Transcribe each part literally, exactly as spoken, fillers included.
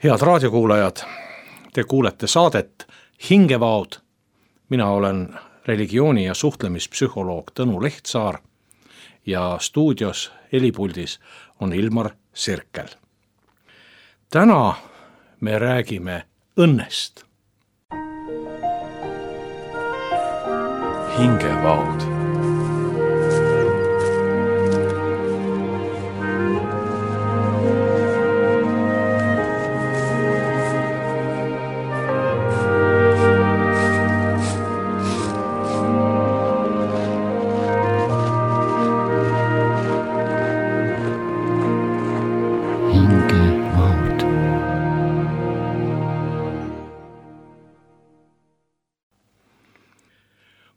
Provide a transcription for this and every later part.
Head raadiokuulajad, te kuulete saadet Hingevaod. Mina olen religiooni- ja suhtlemispsühholoog Tõnu Lehtsaar ja stuudios helipuldis on Ilmar Sirkel. Täna me räägime õnnest. Hingevaod.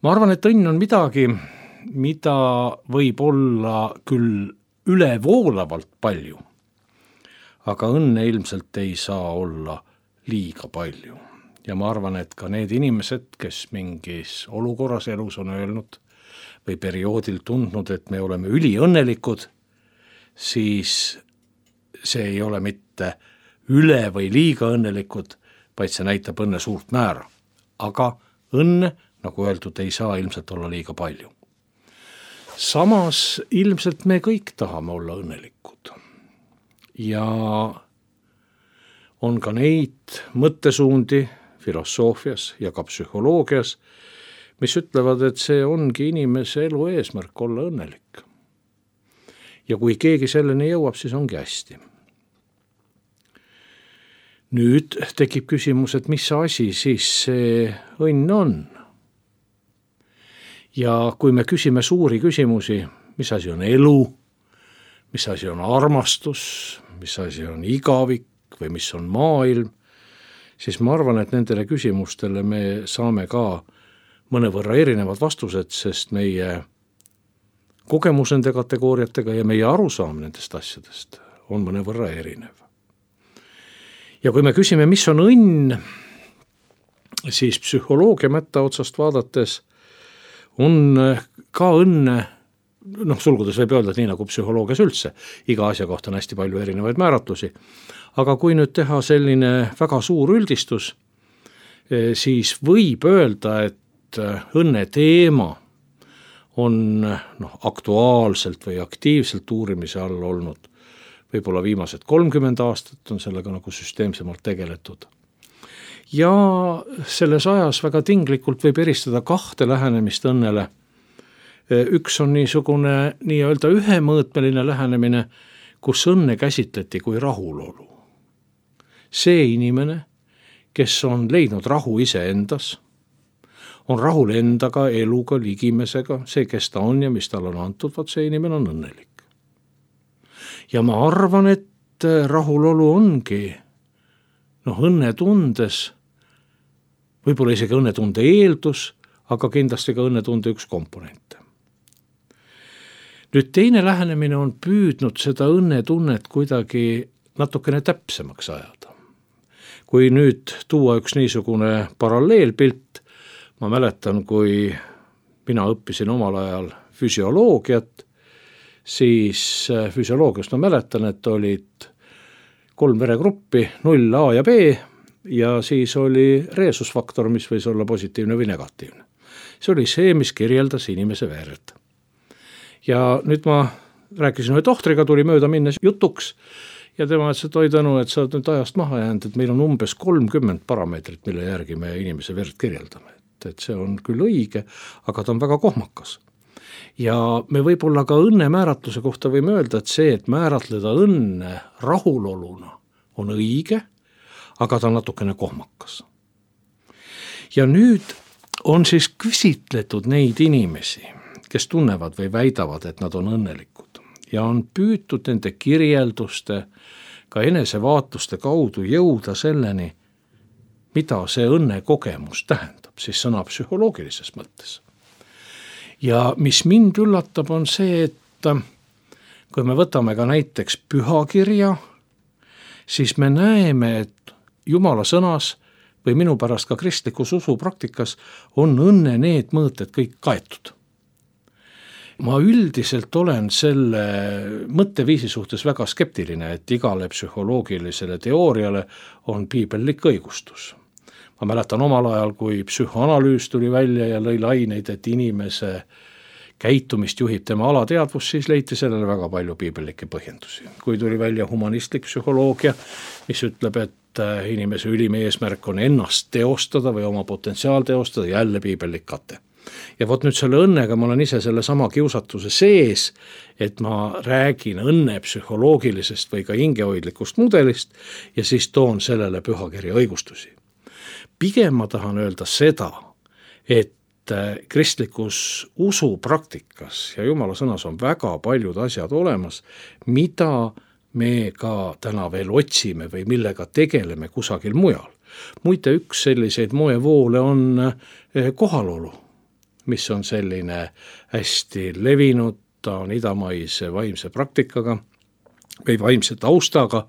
Ma arvan, et õnn on midagi, mida võib olla küll ülevoolavalt palju, aga õnne ilmselt ei saa olla liiga palju. Ja ma arvan, et ka need inimesed, kes mingis olukorras elus on öelnud või perioodil tundnud, et me oleme üliõnnelikud, siis see ei ole mitte üle või liiga õnnelikud, vaid see näitab õnne suurt määra. Aga õnne, nagu öeldud, ei saa ilmselt olla liiga palju. Samas ilmselt me kõik tahame olla õnnelikud. Ja on ka neid mõttesuundi filosoofias ja ka psühholoogias, mis ütlevad, et see ongi inimese elu eesmärk olla õnnelik. Ja kui keegi selleni jõuab, siis ongi hästi. Nüüd tekib küsimus, et mis asi siis see õnn on? Ja kui me küsime suuri küsimusi, mis asi on elu, mis asi on armastus, mis asi on igavik või mis on maailm, siis ma arvan, et nendele küsimustele me saame ka mõnevõrra erinevad vastused, sest meie kogemus nende kategooriatega ja meie arusaam nendest asjadest on mõnevõrra erinev. Ja kui me küsime, mis on õnn, siis psühholoogia mätta otsast vaadates on ka õnne, noh sulgudes võib öelda, et nii nagu psühholoogias üldse, iga asja kohta on hästi palju erinevaid määratlusi, aga kui nüüd teha selline väga suur üldistus, siis võib öelda, et õnne teema on noh, aktuaalselt või aktiivselt uurimise all olnud. Võib-olla viimased kolmkümmend aastat on sellega nagu süsteemsemalt tegeletud. Ja selles ajas väga tinglikult võib eristada kahte lähenemist õnnele. Üks on niisugune nii-öelda ühemõõtmeline lähenemine, kus õnne käsitleti kui rahulolu. See inimene, kes on leidnud rahu iseendas, on rahul endaga, eluga, ligimesega, see, kes ta on ja mis tal on antud, vaat see inimene on õnnelik. Ja ma arvan, et rahulolu ongi noh, õnnetundes, võib-olla isegi õnnetunde eeldus, aga kindlasti ka õnnetunde üks komponente. Nüüd teine lähenemine on püüdnud seda õnnetunnet kuidagi natukene täpsemaks ajada. Kui nüüd tuua üks niisugune paralleelpilt, ma mäletan, kui mina õppisin omal ajal füsioloogiat, siis füsioloogiast ma mäletan, et olid kolm veregruppi, null A ja B, ja siis oli reesusfaktor, mis võis olla positiivne või negatiivne. See oli see, mis kirjeldas inimese verd. Ja nüüd ma rääkisin ühe tohtriga, tuli mööda minnes jutuks, ja tema ütles, et oi Tõnu, et sa oled nüüd ajast maha jäänud, et meil on umbes kolmkümmend parameetrit, mille järgi me inimese verd kirjeldame. Et, et see on küll õige, aga ta on väga kohmakas. Ja me võib-olla ka õnne määratluse kohta võime öelda, et see, et määratleda õnne rahuloluna on õige, aga ta on natukene kohmakas. Ja nüüd on siis küsitletud neid inimesi, kes tunnevad või väidavad, et nad on õnnelikud. Ja on püütud nende kirjelduste, ka enesevaatuste kaudu jõuda selleni, mida see õnne kogemus tähendab, siis sõna psühholoogilises mõttes. Ja mis mind üllatab, on see, et kui me võtame ka näiteks pühakirja, siis me näeme, et Jumala sõnas või minu pärast ka kristlikus usupraktikas on õnne need mõõted kõik kaetud. ma üldiselt olen selle mõtteviisi suhtes väga skeptiline, et igale psühholoogilisele teooriale on piibellik õigustus. Ma mäletan omal ajal, kui psühhoanalüüs tuli välja ja lõi laineid, et inimese käitumist juhib tema alateadvus, siis leiti sellele väga palju piibellikke põhjendusi. Kui tuli välja humanistlik psühholoogia, mis ütleb, et inimese ülim eesmärk on ennast teostada või oma potentsiaal teostada, jälle piibellik kate. Ja vot nüüd selle õnnega ma olen ise selle sama kiusatuse sees, et ma räägin õnne psühholoogilisest või ka hingehoidlikust mudelist ja siis toon sellele pühakirja õigustusi. Pigem ma tahan öelda seda, et kristlikus usupraktikas ja Jumala sõnas on väga paljud asjad olemas, mida me ka täna veel otsime või millega tegeleme kusagil mujal. Muide, üks selliseid moevoole on kohalolu, mis on selline hästi levinud, ta on idamaise vaimse praktikaga või vaimse taustaga,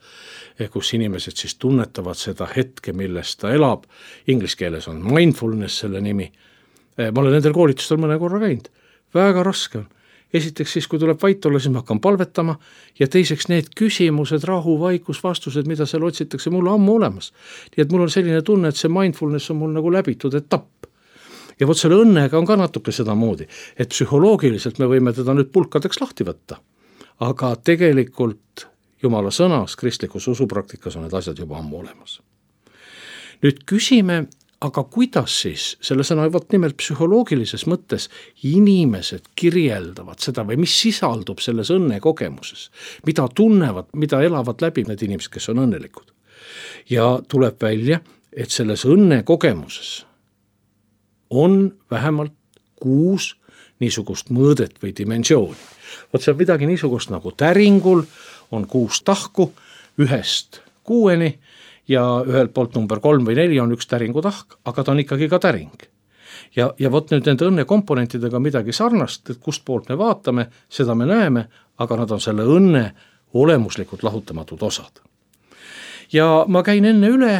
kus inimesed siis tunnetavad seda hetke, milles ta elab. Inglise keeles on mindfulness selle nimi. Ma olen nendel koolitustel mõne korra käinud. Väga raske on. Esiteks siis, kui tuleb vait olla, siis ma hakkan palvetama ja teiseks need küsimused, rahu, vaikus, vastused, mida seal otsitakse, mul on ammu olemas. Nii et mul on selline tunne, et see mindfulness on mul nagu läbitud etapp. Ja vot selle õnnega on ka natuke seda moodi, et psühholoogiliselt me võime teda nüüd pulkadeks lahti võtta. Aga tegelikult Jumala sõnas, kristlikus usupraktikas on need asjad juba ammu olemas. Nüüd küsime, aga kuidas siis selle sõna vot nimelt psühholoogilises mõttes inimesed kirjeldavad seda või mis sisaldub selles õnne kogemuses, mida tunnevad, mida elavad läbi need inimesed, kes on õnnelikud. Ja tuleb välja, et selles õnne kogemuses on vähemalt kuus niisugust mõõdet või dimensiooni. Vot see on midagi niisugust nagu täringul, on kuus tahku ühest kuueni ja ühelt poolt number kolm või neli on üks täringu tahk, aga ta on ikkagi ka täring. Ja, ja vot nüüd nende õnne komponentidega midagi sarnast, et kust poolt me vaatame, seda me näeme, aga nad on selle õnne olemuslikult lahutamatud osad. Ja ma käin enne üle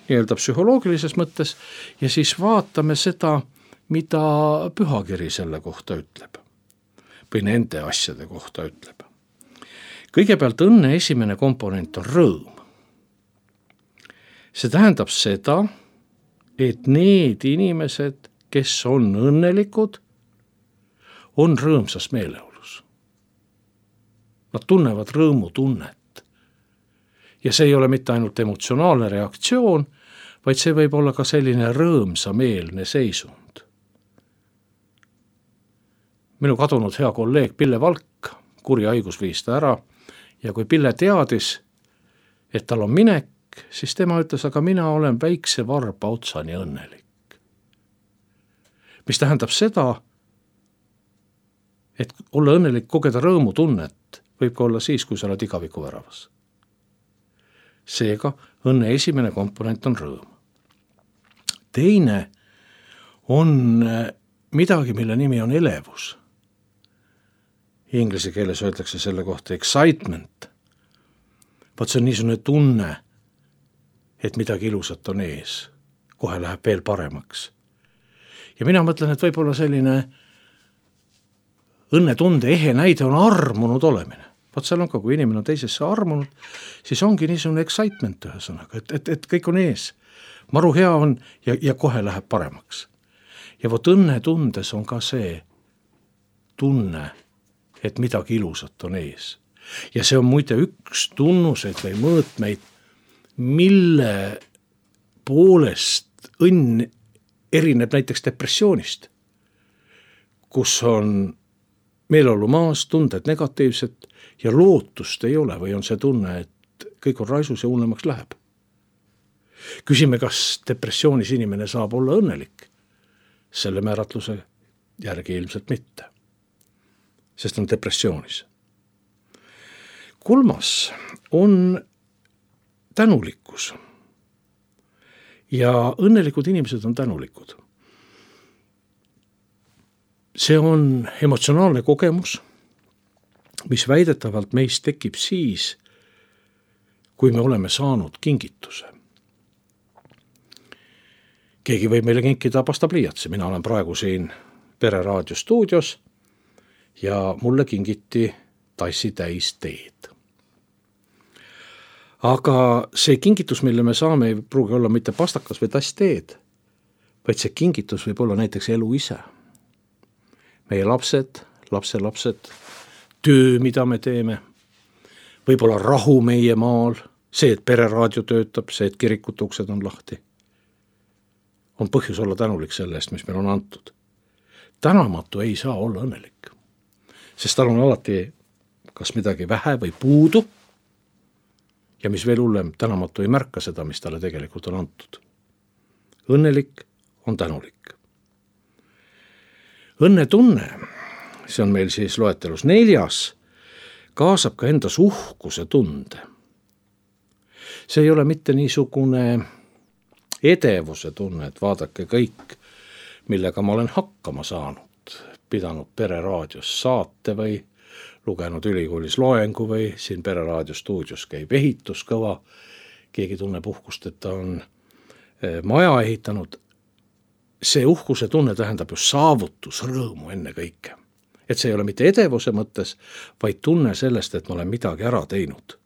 nii-öelda psühholoogilises mõttes ja siis vaatame seda, mida pühakiri selle kohta ütleb või nende asjade kohta ütleb. Kõigepealt õnne esimene komponent on rõõm. See tähendab seda, et need inimesed, kes on õnnelikud, on rõõmsas meeleolus. Nad tunnevad rõõmutunnet. Ja see ei ole mitte ainult emotsionaalne reaktsioon, vaid see võib olla ka selline rõõmsameelne seisund. Minu kadunud hea kolleeg Pille Valk, kuri haigus viis ta ära, ja kui Pille teadis, et tal on minek, siis tema ütles, aga mina olen väikse varba otsani õnnelik. Mis tähendab seda, et olla õnnelik, kogeda rõõmutunnet, võib ka olla siis, kui sa oled igaviku väravas. Seega õnne esimene komponent on rõõm. Teine on midagi, mille nimi on elevus. Inglise keeles öeldakse selle kohta excitement. Vaat see on niisugune tunne, et midagi ilusat on ees. Kohe läheb veel paremaks. Ja mina mõtlen, et võib olla selline õnnetunde ehe näide on armunud olemine. Vaat seal on ka, kui inimene on teisesse armunud, siis ongi niisugune excitement ühesõnaga, et, et, et kõik on ees. Maru hea on ja, ja kohe läheb paremaks. Ja vot õnnetundes on ka see tunne, et midagi ilusat on ees. Ja see on muide üks tunnuseid või mõõtmeid, mille poolest õnn erineb näiteks depressioonist, kus on meeleolu maas, tunded negatiivsed ja lootust ei ole või on see tunne, et kõik on raisus ja unnemaks läheb. Küsime, kas depressioonis inimene saab olla õnnelik? Selle määratluse järgi ilmselt mitte, sest on depressioonis. Kolmas on tänulikkus. Ja õnnelikud inimesed on tänulikud. See on emotsionaalne kogemus, mis väidetavalt meist tekib siis, kui me oleme saanud kingituse. Keegi võib meile kinkida pastapliiatsi. Mina olen praegu siin Pere Raadio stuudios ja mulle kingiti tassi täis teed. Aga see kingitus, mille me saame, ei pruugi olla mitte pastakas või tass teed, vaid see kingitus võib olla näiteks elu ise. Meie lapsed, lapselapsed, töö, mida me teeme, võib-olla rahu meie maal, see, et pereraadio töötab, see, et kirikute uksed on lahti. On põhjus olla tänulik selle eest, mis meil on antud. Tänamatu ei saa olla õnnelik, sest tal on alati kas midagi vähe või puudu ja mis veel hullem, tänamatu ei märka seda, mis talle tegelikult on antud. Õnnelik on tänulik. Õnnetunne, see on meil siis loetelus neljas, kaasab ka endas uhkuse tunde. See ei ole mitte niisugune edevuse tunne, et vaadake kõik, millega ma olen hakkama saanud, pidanud pereraadios saate või lugenud ülikoolis loengu või siin pereraadio stuudios käib ehitus kõva, keegi tunneb uhkust, et ta on maja ehitanud. See uhkuse tunne tähendab ju saavutus, rõõmu enne kõike. Et see ei ole mitte edevuse mõttes, vaid tunne sellest, et ma olen midagi ära teinud.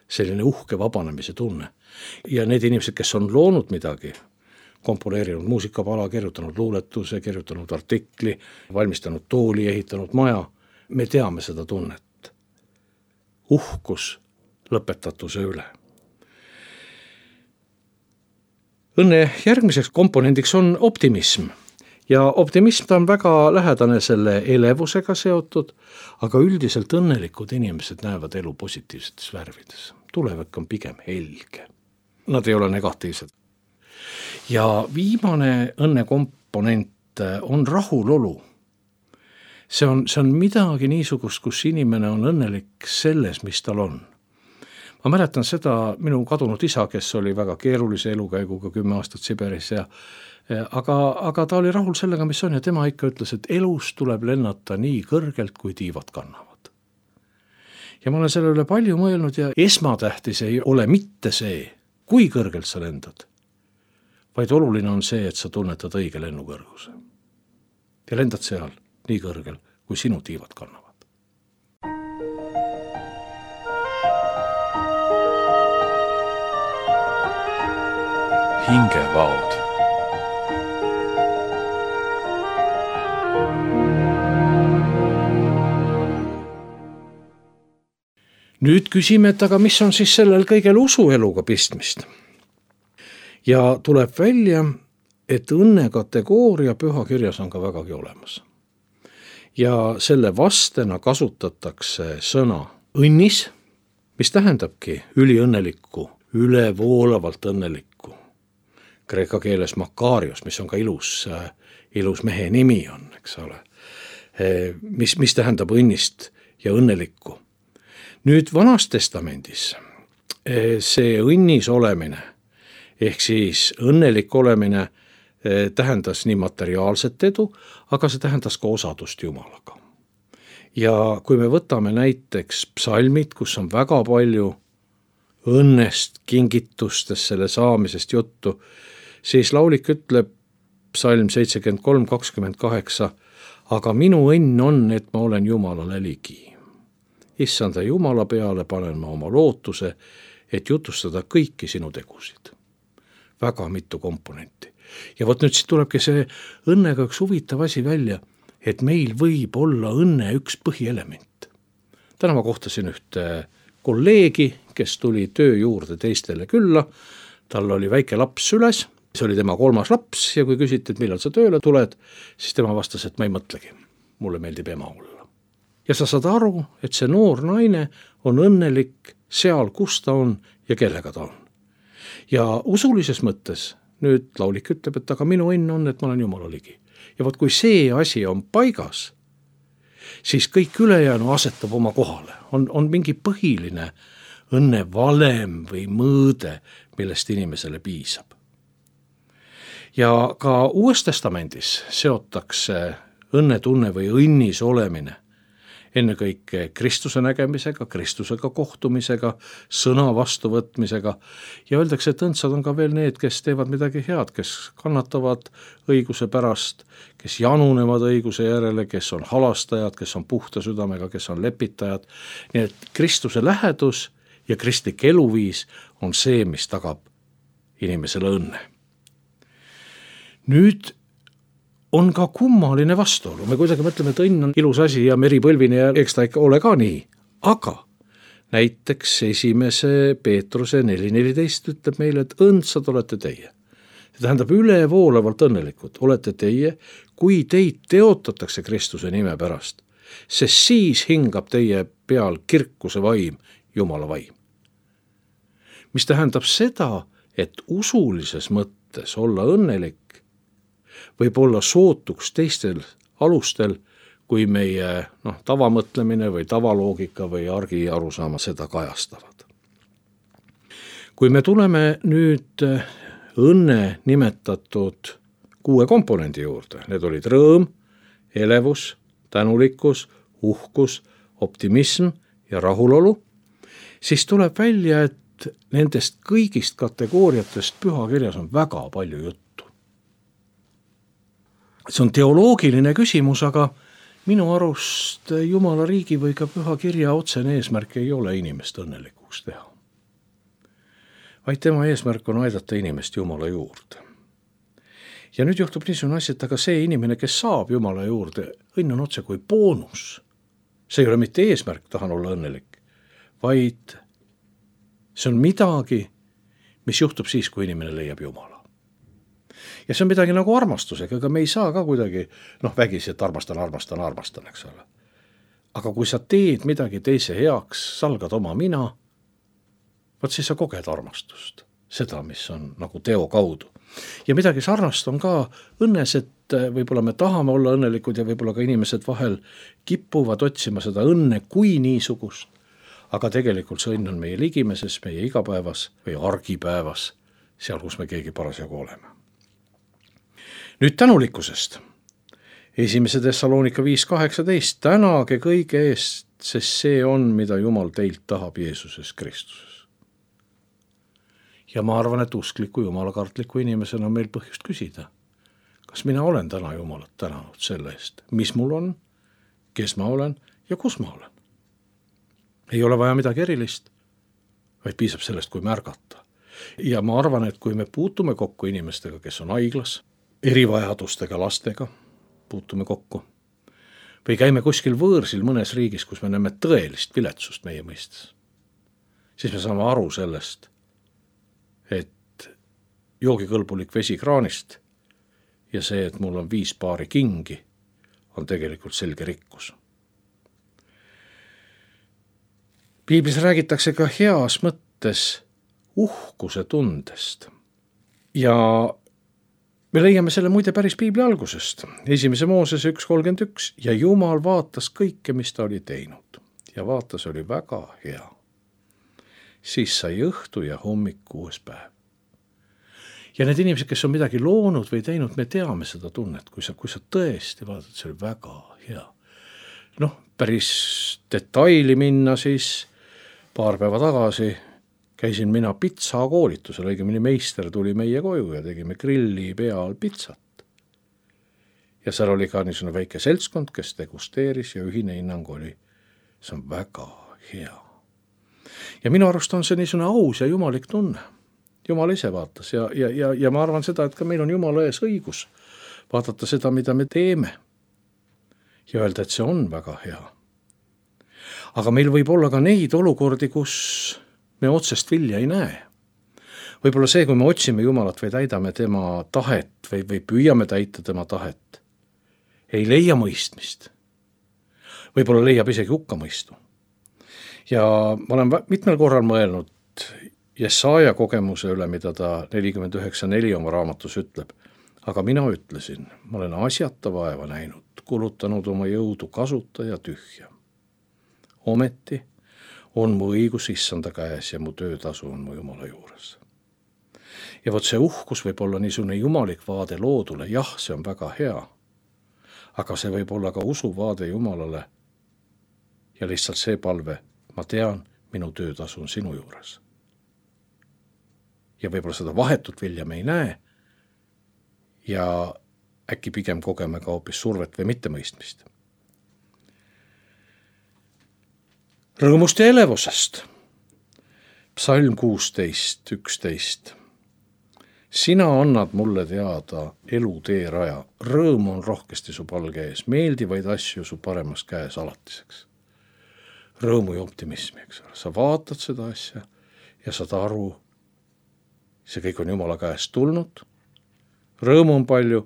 Selline uhke vabanemise tunne. Ja need inimesed, kes on loonud midagi, komponeerinud muusikapala, kirjutanud luuletuse, kirjutanud artikli, valmistanud tooli, ehitanud maja, me teame seda tunnet. Uhkus lõpetatuse üle. Õnne järgmiseks komponendiks on optimism. Ja optimism ta on väga lähedane selle elevusega seotud, aga üldiselt õnnelikud inimesed näevad elu positiivsetes värvides. Tulevik on pigem helge. Nad ei ole negatiivsed. Ja viimane õnnekomponent on rahulolu. See on, see on midagi niisugust, kus inimene on õnnelik selles, mis tal on. Ma mäletan seda minu kadunud isa, kes oli väga keerulise elukäiguga kümme aastat Siberis, ja, aga, aga ta oli rahul sellega, mis on, ja tema ikka ütles, et elus tuleb lennata nii kõrgelt, kui tiivad kannavad. Ja ma olen selle üle palju mõelnud ja esmatähtis ei ole mitte see, kui kõrgelt sa lendad, vaid oluline on see, et sa tunnetad õige lennukõrguse. Ja lendad seal nii kõrgel, kui sinu tiivad kannavad. Hingevaod. Nüüd küsime, et aga mis on siis sellel kõigel usueluga pistmist? Ja tuleb välja, et õnne kategooria pühakirjas on ka vägagi olemas. Ja selle vastena kasutatakse sõna õnnis, mis tähendabki üliõnnelikku, ülevoolavalt õnnelikku. Kreeka keeles makarios, mis on ka ilus, ilus mehe nimi on, eks ole, mis, mis tähendab õnnist ja õnnelikku. Nüüd Vanas Testamendis see õnnis olemine, ehk siis õnnelik olemine tähendas nii materiaalset edu, aga see tähendas ka osadust Jumalaga. Ja kui me võtame näiteks psalmid, kus on väga palju õnnest, kingitustest, selle saamisest juttu, siis laulik ütleb psalm seitsekümmend kolm kakskümmend kaheksa, aga minu õnn on, et ma olen Jumalale ligi. Issanda Jumala peale panen ma oma lootuse, et jutustada kõiki sinu tegusid. Väga mitu komponenti. Ja võt nüüd siit tulebki see õnnega üks huvitav asi välja, et meil võib olla õnne üks põhielement. Täna ma kohtasin ühte kolleegi, kes tuli töö juurde teistele külla, tal oli väike laps süles, see oli tema kolmas laps ja kui küsiti, et millal sa tööle tuled, siis tema vastas, et ma ei mõtlegi, mulle meeldib ema olla. Ja sa saad aru, et see noor naine on õnnelik seal, kus ta on ja kellega ta on. Ja usulises mõttes nüüd laulik ütleb, et aga minu õnn on, et ma olen Jumala ligi. Ja võt kui see asi on paigas, siis kõik ülejäänu asetab oma kohale. On, on mingi põhiline õnne valem või mõõde, millest inimesele piisab. Ja ka Uues Testamendis seotakse õnnetunne või õnnis olemine ennekõike Kristuse nägemisega, Kristusega kohtumisega, sõna vastuvõtmisega ja öeldakse, et õndsad on ka veel need, kes teevad midagi head, kes kannatavad õiguse pärast, kes janunevad õiguse järele, kes on halastajad, kes on puhta südamega, kes on lepitajad. Nii et Kristuse lähedus ja kristlik eluviis on see, mis tagab inimesele õnne. Nüüd on ka kummaline vastuolu. Me kuidagi mõtleme, et õnn on ilus asi ja meripõlvini ja eks ta ikka ole ka nii. Aga näiteks esimese Peetruse neli neliteist ütleb meile, et õndsad olete teie. See tähendab ülevoolavalt õnnelikud. Olete teie, kui teid teotatakse Kristuse nime pärast, sest siis hingab teie peal kirkuse vaim, Jumala vaim. Mis tähendab seda, et usulises mõttes olla õnnelik võib olla sootuks teistel alustel, kui meie noh, tavamõtlemine või tavaloogika või argi arusaama seda kajastavad. Kui me tuleme nüüd õnne nimetatud kuue komponendi juurde, need olid rõõm, elevus, tänulikkus, uhkus, optimism ja rahulolu, siis tuleb välja, et nendest kõigist kategooriatest pühakirjas on väga palju juttu. See on teoloogiline küsimus, aga minu arust Jumala riigi või ka püha kirja otsene eesmärk ei ole inimest õnnelikuks teha. Vaid tema eesmärk on aidata inimest Jumala juurde. Ja nüüd juhtub niisugune asi, et aga see inimene, kes saab Jumala juurde, õnn on otse kui boonus. See ei ole mitte eesmärk, tahan olla õnnelik, vaid see on midagi, mis juhtub siis, kui inimene leiab Jumala. Ja see on midagi nagu armastusega, aga me ei saa ka kuidagi, noh vägisi, et armastan, armastan, armastan, eks ole. Aga kui sa teed midagi teise heaks, salgad oma mina, võt siis sa koged armastust, seda, mis on nagu teo kaudu. Ja midagi sarnast on ka õnnes, et võib-olla me tahame olla õnnelikud ja võib-olla ka inimesed vahel kipuvad otsima seda õnne kui niisugust, aga tegelikult see õnn on meie ligimeses, meie igapäevas või argipäevas, seal, kus me keegi parasjagu oleme. Nüüd tänulikkusest. Esimese Thessalonika viis kaheksateist. Tänage kõige eest, sest see on, mida Jumal teilt tahab Jeesuses Kristuses. Ja ma arvan, et uskliku jumalakartliku inimesena on meil põhjust küsida, kas mina olen täna Jumalat tänanud selle eest, mis mul on, kes ma olen ja kus ma olen. Ei ole vaja midagi erilist, vaid piisab sellest, kui märgata. Ja ma arvan, et kui me puutume kokku inimestega, kes on haiglas, erivajadustega lastega puutume kokku või käime kuskil võõrsil mõnes riigis, kus me näeme tõelist viletsust meie mõistes, siis me saame aru sellest, et joogikõlbulik vesi kraanist ja see, et mul on viis paari kingi, on tegelikult selge rikkus. Piiblis räägitakse ka heas mõttes uhkuse tundest ja me leiame selle muide päris Piibli algusest. Esimese Moosese üks kolmkümmend üks. Ja Jumal vaatas kõike, mis ta oli teinud. Ja vaatas oli väga hea. Siis sai õhtu ja hommik kuues päev. Ja need inimesed, kes on midagi loonud või teinud, me teame seda tunnet, kui sa, kui sa tõesti vaatad, see oli väga hea. Noh, päris detaili minna siis paar päeva tagasi käisin mina pitsa koolitusel, õigemini meister tuli meie koju ja tegime grilli peal pitsat. Ja seal oli ka niisugune väike seltskond, kes degusteeris ja ühine hinnang oli, see on väga hea. Ja minu arust on see niisugune aus ja jumalik tunne. Jumal ise vaatas ja, ja, ja, ja ma arvan seda, et ka meil on Jumala ees õigus vaadata seda, mida me teeme ja öelda, et see on väga hea. Aga meil võib olla ka neid olukordi, kus me otsest vilja ei näe. Võib-olla see, kui me otsime Jumalat või täidame tema tahet või, või püüame täita tema tahet, ei leia mõistmist. Võib-olla leiab isegi hukkamõistu. Ja ma olen mitmel korral mõelnud Jesaja kogemuse üle, mida ta nelikümmend üheksa neli oma raamatus ütleb. Aga mina ütlesin, ma olen asjata vaeva näinud, kulutanud oma jõudu kasuta ja tühja. Ometi on mu õigus issanda käes ja mu töötasu on mu Jumala juures. Ja vot see uhkus võib olla niisugune jumalik vaade loodule, jah, see on väga hea, aga see võib olla ka usuvaade Jumalale, ja lihtsalt see palve, ma tean, minu töötasu on sinu juures. Ja võib-olla seda vahetut vilja me ei näe ja äkki pigem kogeme ka hoopis survet või mittemõistmist. Rõõmust ja elevusest. Psalm kuusteist, üksteist. Sina annad mulle teada elu teeraja, rõõm on rohkesti su palge ees, meeldivaid asju su paremas käes alatiseks. Rõõmu ja optimismi, eks ole. Sa vaatad seda asja ja saad aru, see kõik on Jumala käest tulnud, rõõmu on palju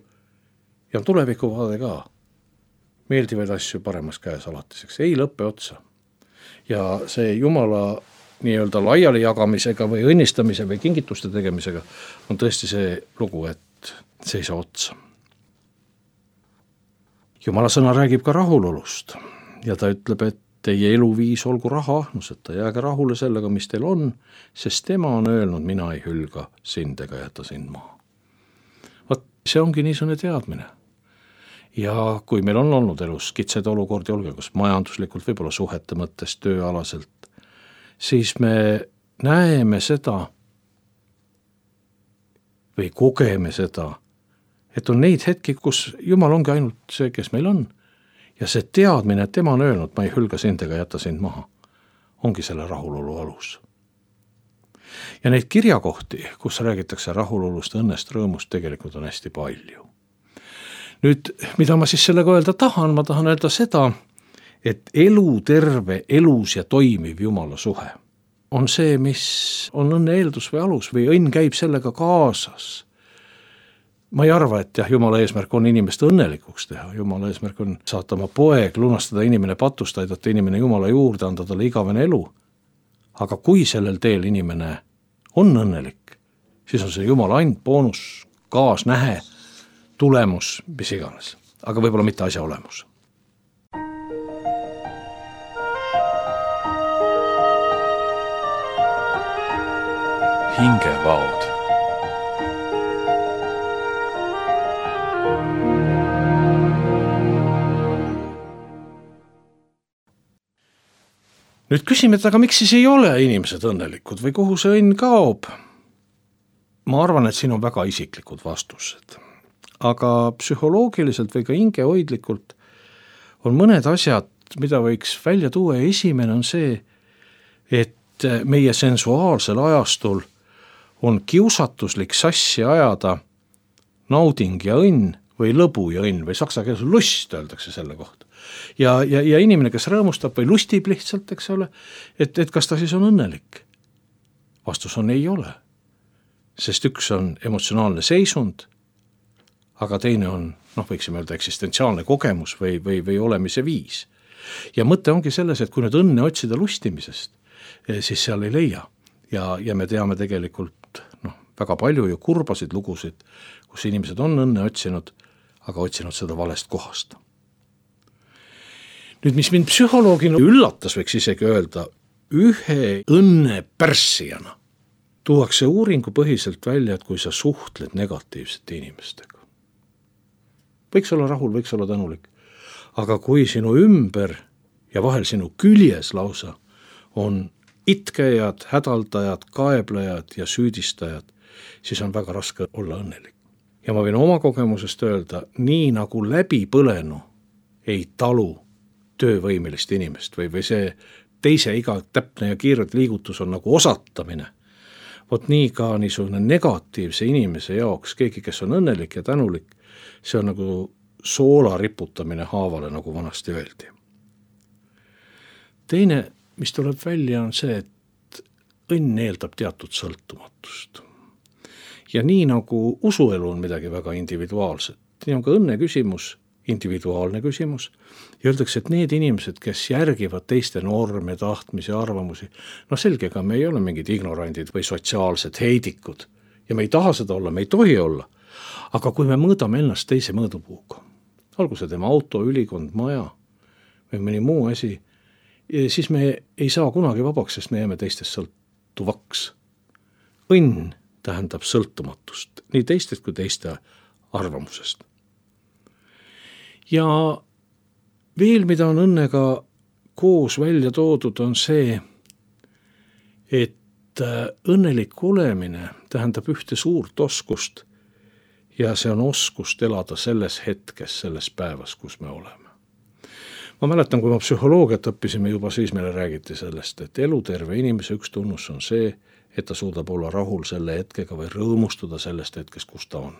ja tulevikuvaade ka. Meeldivaid asju paremas käes alatiseks, ei lõppe otsa. Ja see Jumala nii-öelda laiali jagamisega või õnnistamise või kingituste tegemisega on tõesti see lugu, et see ei saa otsa. Jumala sõna räägib ka rahulolust ja ta ütleb, et teie eluviis olgu rahaahnuseta, jääge rahule sellega, mis teil on, sest tema on öelnud, mina ei hülga sind ega jäta sind maha. Vaat see ongi niisugune teadmine. Ja kui meil on olnud elus kitsaid olukordi, olge kas majanduslikult, võib-olla suhete mõttes, tööalaselt, siis me näeme seda või kogeme seda, et on neid hetki, kus Jumal ongi ainult see, kes meil on. Ja see teadmine, et tema on öelnud, ma ei hülga sind ega jäta sind maha, ongi selle rahulolu alus. Ja neid kirjakohti, kus räägitakse rahulolust, õnnest, rõõmust, tegelikult on hästi palju. Nüüd, mida ma siis sellega öelda tahan, ma tahan öelda seda, et elu terve, elus ja toimiv Jumala suhe on see, mis on õnne eeldus või alus või õnn käib sellega kaasas. Ma ei arva, et jah, Jumala eesmärk on inimest õnnelikuks teha. Jumala eesmärk on saata oma poeg, lunastada inimene patust, aidata inimene Jumala juurde, anda talle igavene elu. Aga kui sellel teel inimene on õnnelik, siis on see Jumala ainult boonus, kaasnähe, tulemus, mis iganes. Aga võib-olla mitte asja olemus. Hingevaod. Nüüd küsime, et aga miks siis ei ole inimesed õnnelikud või kuhu see õnn kaob? Ma arvan, et siin on väga isiklikud vastused. Aga psühholoogiliselt või ka hingehoidlikult on mõned asjad, mida võiks välja tuua ja esimene on see, et meie sensuaalsel ajastul on kiusatuslik sassi ajada nauding ja õnn või lõbu ja õnn või saksa keeles lust öeldakse selle kohta. Ja, ja, ja inimene, kes rõõmustab või lustib lihtsalt, eks ole, et, et kas ta siis on õnnelik? Vastus on ei ole. Sest üks on emotsionaalne seisund, aga teine on, noh, võiksime öelda eksistentsiaalne kogemus või, või, või olemise viis. Ja mõte ongi selles, et kui nüüd õnne otsida lustimisest, siis seal ei leia. Ja, ja me teame tegelikult noh, väga palju ju kurbasid lugusid, kus inimesed on õnne otsinud, aga otsinud seda valest kohast. Nüüd, mis mind psühholoogina üllatas, võiks isegi öelda, ühe õnne pärssijana tuuakse uuringu põhiselt välja, et kui sa suhtled negatiivsete inimestega. Võiks olla rahul, võiks olla tänulik. Aga kui sinu ümber ja vahel sinu küljes lausa on itkejad, hädaldajad, kaeblejad ja süüdistajad, siis on väga raske olla õnnelik. Ja ma võin oma kogemusest öelda, nii nagu läbi põlenu ei talu töövõimelist inimest või, või see teise iga täpne ja kiiret liigutus on nagu osatamine. Vot nii ka niisugune negatiivse inimese jaoks, keegi, kes on õnnelik ja tänulik, see on nagu soola riputamine haavale, nagu vanasti öeldi. Teine, mis tuleb välja, on see, et õnn eeldab teatud sõltumatust. Ja nii nagu usuelu on midagi väga individuaalset, nii on ka õnne küsimus, individuaalne küsimus, ja öeldakse, et need inimesed, kes järgivad teiste norme, tahtmisi, arvamusi, no selge, ega me ei ole mingid ignorandid või sotsiaalsed heidikud, ja me ei taha seda olla, me ei tohi olla, aga kui me mõõdame ennast teise mõõdupuuga, olgu see tema auto, ülikond, maja või mõni muu asi, siis me ei saa kunagi vabaks, sest me jääme teistest sõltuvaks. Õnn tähendab sõltumatust, nii teistest kui teiste arvamusest. Ja veel, mida on õnnega koos välja toodud, on see, et õnnelik olemine tähendab ühte suurt oskust ja see on oskust elada selles hetkes, selles päevas, kus me oleme. Ma mäletan, kui ma psühholoogiat õppisime juba, siis meile räägiti sellest, et eluterve inimese üks tunnus on see, et ta suudab olla rahul selle hetkega või rõõmustuda sellest hetkest, kus ta on.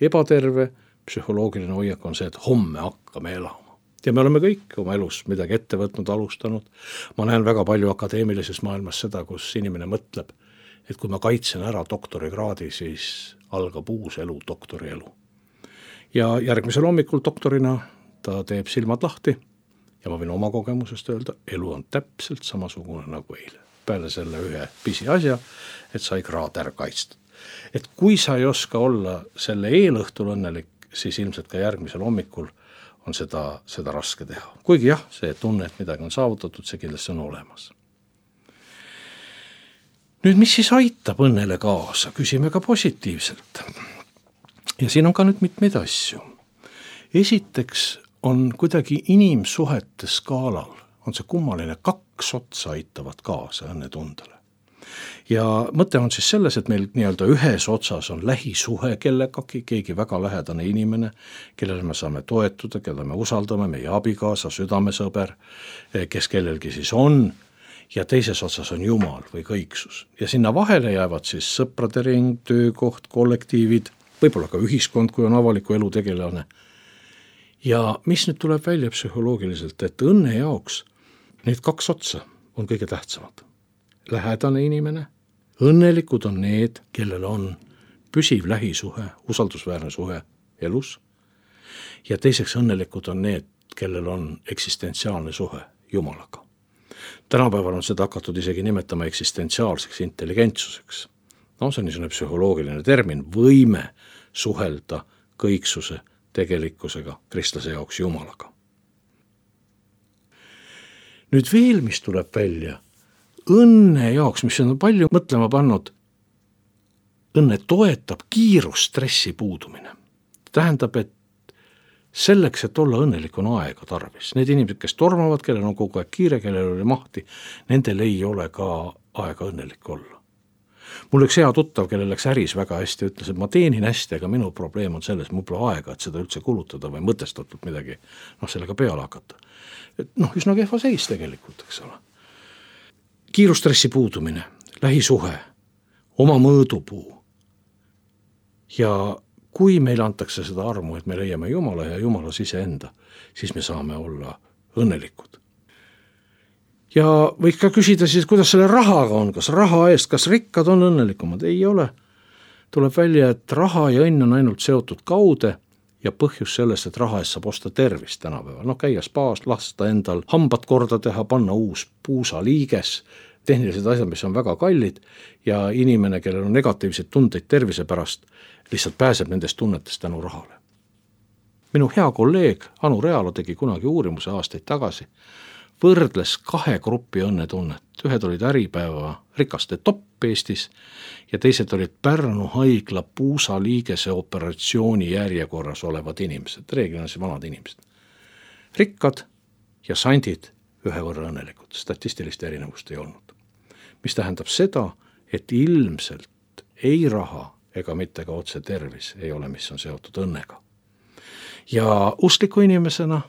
Ebaterve psühholoogiline hoiak on see, et homme hakkame elama. Ja me oleme kõik oma elus midagi ette võtnud, alustanud. Ma näen väga palju akadeemilises maailmas seda, kus inimene mõtleb, et kui ma kaitsen ära doktorikraadi, siis algab uus elu, doktori elu. Ja järgmisel hommikul doktorina ta teeb silmad lahti ja ma võin oma kogemusest öelda, elu on täpselt samasugune nagu eile. Peale selle ühe pisi asja, et sai kraad ära kaitstud. Et kui sa ei oska olla selle eelõhtul õnnelik, siis ilmselt ka järgmisel hommikul on seda, seda raske teha. Kuigi jah, see tunne, et midagi on saavutatud, see kindlasti on olemas. Nüüd, mis siis aitab õnnele kaasa? Küsime ka positiivselt. Ja siin on ka nüüd mitmeid asju. Esiteks on kuidagi inimsuhete skaalal, on see kummaline, kaks otsa aitavad kaasa õnnetundele. Ja mõte on siis selles, et meil nii-öelda ühes otsas on lähisuhe kellegagi, keegi väga lähedane inimene, kellele me saame toetuda, kelle me usaldame, meie abikaasa, südamesõber, kes kellelgi siis on, ja teises otsas on Jumal või kõiksus. Ja sinna vahele jäävad siis sõprade ring, töökoht, kollektiivid, võib-olla ka ühiskond, kui on avaliku elu tegelane. Ja mis nüüd tuleb välja psühholoogiliselt, et õnne jaoks need kaks otsa on kõige tähtsamad. Lähedane inimene, õnnelikud on need, kellel on püsiv lähisuhe, usaldusväärne suhe elus, ja teiseks õnnelikud on need, kellel on eksistentsiaalne suhe Jumalaga. Tänapäeval on seda hakatud isegi nimetama eksistentsiaalseks intelligentsuseks. No see on niisugune psühholoogiline termin, võime suhelda kõiksuse tegelikkusega, kristlase jaoks Jumalaga. Nüüd veel, mis tuleb välja, õnne jaoks, mis on palju mõtlema pannud, õnne toetab kiirustressi puudumine. Tähendab, et selleks, et olla õnnelik, on aega tarvis. Need inimesed, kes tormavad, kellel on kogu aeg kiire, kellel oli mahti, nendel ei ole ka aega õnnelik olla. Mul üks hea tuttav, kellel läks äris väga hästi, ütles, et ma teenin hästi, aga minu probleem on selles, mul pole aega, et seda üldse kulutada või mõtestatult midagi noh, sellega peale hakata. Et noh, üsna kehva seis tegelikult, eks ole. Kiirustressi puudumine, lähisuhe, oma mõõdupuu. Ja kui meil antakse seda armu, et me leiame Jumala ja Jumala siseenda, siis me saame olla õnnelikud. Ja võiks ka küsida siis, kuidas selle rahaga on, kas raha eest, kas rikkad on õnnelikumad? Ei ole. Tuleb välja, et raha ja õnn on ainult seotud kaude ja põhjus sellest, et raha eest saab osta tervist tänapäeval. No käia spaas, lasta endal hambad korda teha, panna uus puusaliiges, tehnilised asjad, mis on väga kallid ja inimene, kellel on negatiivseid tundeid tervise pärast, lihtsalt pääseb nendest tunnetest tänu rahale. Minu hea kolleeg Anu Realo tegi kunagi uurimuse aastaid tagasi, võrdles kahe gruppi õnnetunnet. Ühed olid Äripäeva rikaste topp Eestis ja teised olid Pärnu haigla puusaliigese operatsiooni järjekorras olevad inimesed, reeglina siis vanad inimesed. Rikkad ja sandid ühe võrra õnnelikud, statistilist erinevust ei olnud. Mis tähendab seda, et ilmselt ei raha ega mitte ka otse tervis ei ole, mis on seotud õnnega. Ja uskliku inimesena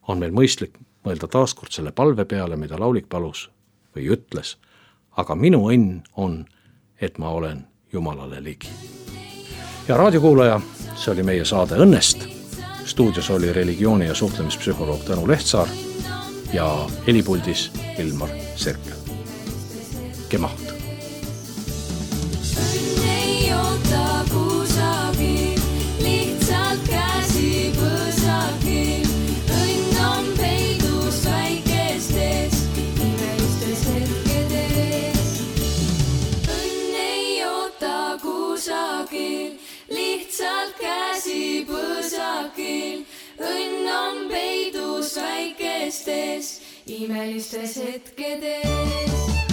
on meil mõistlik mõelda taaskord selle palve peale, mida laulik palus või ütles, aga minu õnn on, et ma olen Jumalale ligi. Ja raadiokuulaja, see oli meie saade Õnnest. Stuudios oli religiooni- ja suhtlemispsühholoog Tõnu Lehtsaar ja helipuldis Ilmar Serkel. Kemaht! Lihtsalt käsi põsakil, õnn on peidus väikestes, imelistes hetkedes.